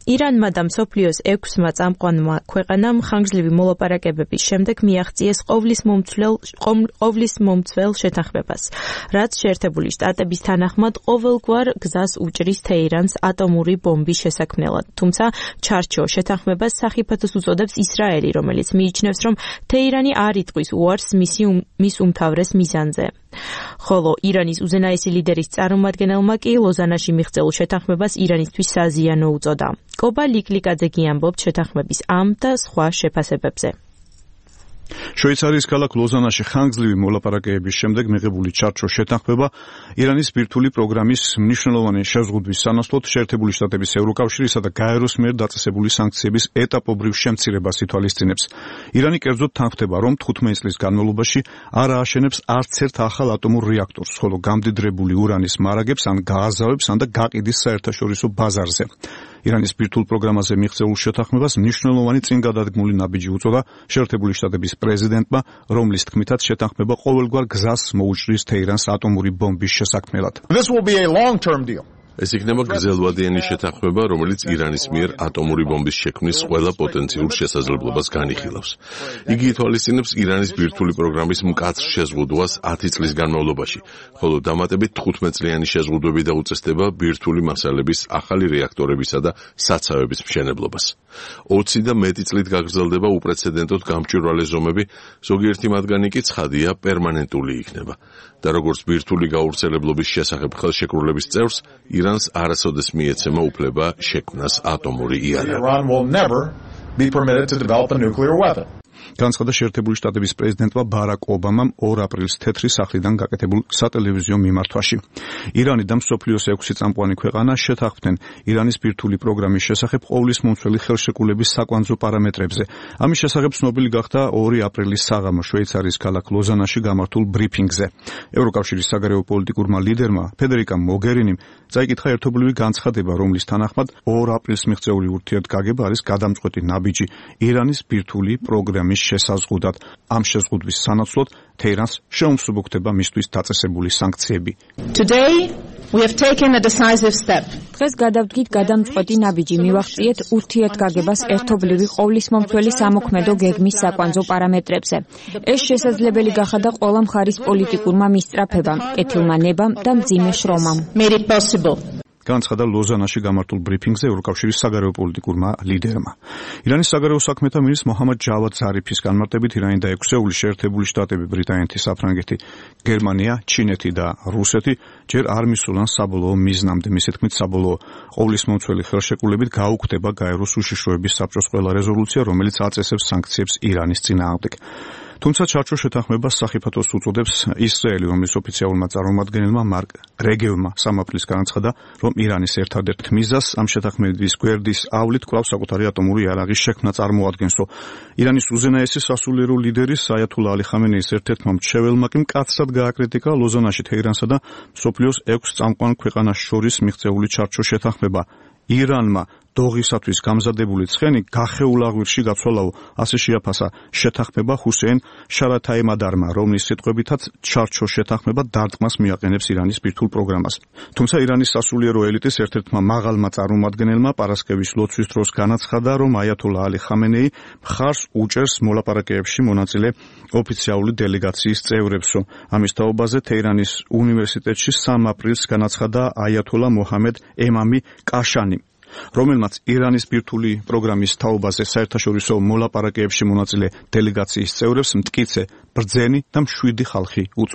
ირანმა და მსოფლიოს 6-მა წამყვანმა ქვეყანამ ხანგრძლივი მოლაპარაკებების შემდეგ მიაღწიეს ყოვლის მომცველ შეთანხმებას, რაც შეერთებული შტატების თანახმად ყოველგვარ გზას უჭრის თეირანს ატომური ბომბის შესაქმნელად. თუმცა ჩარჩო შეთანხმებას სახიფათოს უწოდებს ისრაელი, რომელიც მიიჩნევს, რომ თეირანი არ იტყვის უარს მის უმთავრეს მიზანზე. ხოლო ირანის უზენაესი ლიდერის წარმომადგენელმა კი ლოზანაში მიღწეულ შეთანხმებას ირანისთვის საზიანო უწოდა. კობა ლიკლიკაძე ამბობს შეთანხმების ამ და სხვა შეფასებებზე. შვეიცარიის ქალაქ ლოზანაში ხანგრძლივი მოლაპარაკებების შემდეგ მიღებული ჩარჩო შეთანხმება ირანის ბირთვული პროგრამის მნიშვნელოვანი შეზღუდვის სანაცვლოდ შეერთებული შტატების ევროკავშირისა და გაეროს მიერ დაწესებული სანქციების ეტაპობრივ შემცირებას ითვალისწინებს. ირანი კერძოდ თანხმდება, რომ 15 წლის განმავლობაში არ ააშენებს არც ერთ ახალ ატომურ რეაქტორს, ხოლო გამდიდრებული ურანის მარაგებს ან გააზავებს, ან და გაყიდის საერთაშორისო ბაზარზე. ირანის ბირთვულ პროგრამაზე მიღწეულ შეთანხმებას მნიშვნელოვანი წინგადადგმული ნაბიჯი უწოდა შეერთებული შტატების პრეზიდენტმა, რომლის თქმითაც შეთანხმება ყოველგვარ გზას მოუჭრის თეირანს ატომური ბომბის შესაქმნელად. This will be a long-term deal. ეს იქნება გრძელვადიანი შეთანხმება, რომელიც ირანის მიერ ატომური ბომბის შექმნის ყველა პოტენციურ შესაძლებლობას განიხილავს. იგი ითვალისწინებს ირანის ბირთვული პროგრამის მკაცრ შეზღუდვას 10 წლის განმავლობაში, ხოლო დამატებით 15 წლიანი შეზღუდვები დაუწესდება ბირთვული მასალების ახალი რეაქტორებისა და საცავების მშენებლობას. 20 და მეტი წლით გაგრძელდება უპრეცედენტოდ გამჭვირვალე ზომები, ზოგიერთი მათგანი კი ცხადია პერმანენტული იქნება. და როგორც ბირთვული გავრცელებლობის შესახებ ხელშეკრულების წევრს, ირანს არასოდეს მიეცემა უფლება შექმნას ატომური იარაღი. განცხადა შეერთებული შტატების პრეზიდენტმა ბარაკ ობამამ 2 აპრილს თეთრი სახლიდან გაკეთებულ სატელევიზიო მიმართვაში. ირანი და მსოფლიოს 6 წამყვანი ქვეყანა შეთანხმდნენ ირანის ბირთვული პროგრამის შესახებ ყოვლის მომცველი ხელშეკრულების საკვანძო პარამეტრებზე. ამის შესახებ ცნობილი გახდა 2 აპრილის საღამო შვეიცარიის ქალაქ ლოზანაში გამართულ ბრიფინგზე. ევროკავშირის საგარეო პოლიტიკურმა ლიდერმა ფედერიკა მოგერინიმ წაიკითხა ერთობლივი განცხადება, რომლის თანახმად 2 აპრილს მიღწეული ურთიერთგაგება არის გადამწყვეტი ნაბიჯი ირანის ბირთვული პროგრამის შესაზღუდად. ამ შეზღუდვის სანაცვლოდ თეირანს შეუმსუბუქდება მისთვის დაწესებული სანქციები. დღეს გადავდგით გადამწყვეტი ნაბიჯი, მივახციეთ ურთიერთგაგებას ერთობლივი ყოვლის მომცველი სამოქმედო გეგმის საკვანძო პარამეტრებზე. ეს შესაძლებელი გახადა ყველა მხარის პოლიტიკურმა მისწრაფებამ, კეთილმა ნებამ და მძიმე შრომამ. განცხადა ლოზანაში გამართულ ბრიფინგზე ევროკავშირის საგარეო პოლიტიკურმა ლიდერმა. ირანის საგარეო საქმეთა მინისტრ მოჰამად ჯავად ზარიფის განმარტებით ირანი და 6 შეერთებული შტატები, ბრიტანეთი, საფრანგეთი, გერმანია, ჩინეთი და რუსეთი ჯერ არ მისულან საბოლოო მიზნამდე. მისი თქმით, საბოლოო ყოვლის მომცველი ხელშეკრულებით გაუქმდება გაეროს უშიშროების საბჭოს ყველა რეზოლუცია, რომელიც აწესებს სანქციებს ირანის წინააღმდეგ. თუმცა ჩარჩო შეთანხმებას სახიფათოს უწოდებს ისრაელი, რომლის ოფიციალურმა წარმომადგენელმა მარკ რეგევმა 3 აპრილს განაცხადა, რომ ირანის ერთადერთ მიზანს ამ შეთანხმების გვერდის ავლით კვლავ საკუთარი ატომური იარაღის შექმნა წარმოადგენს. ირანის უზენაესი სასულიერო ლიდერის აიათულა ალი ხამენეის ერთ-ერთმა მრჩეველმა კი მკაცრად გააკრიტიკა ლოზანაში თეირანსა და მსოფლიოს 6 წამყვან ქვეყანას შორის მიღწეული ჩარჩო შეთანხმება. ირანმა დოღისათვის გამზადებული ცხენი გახეულ აღვირში გაცვალაო, ასე შეაფასა შეთანხმება ჰუსეინ შარათაიმადარმა, რომლის სიტყვებითაც ჩარჩო შეთანხმება დარტყმას მიაყენებს ირანის ბირთვულ პროგრამას. თუმცა ირანის სასულიერო ელიტის ერთ-ერთმა მაღალმა წარმომადგენელმა პარასკევის ლოცვის დროს განაცხადა, რომ აიათულა ალი ხამენეი მხარს უჭერს მოლაპარაკებებში მონაწილე ოფიციალური დელეგაციის წევრებსო. ამის თაობაზე თეირანის უნივერსიტეტში 3 აპრილს განაცხადა აიათულა მოჰამედ ემამი კაშანი, რომელმაც ირანის ბირთვული პროგრამის თაობაზე საერთაშორისო მოლაპარაკებებში მონაწილე დელეგაციის წევრებს მტკიცე, ბრძენი და მშვიდი ხალხი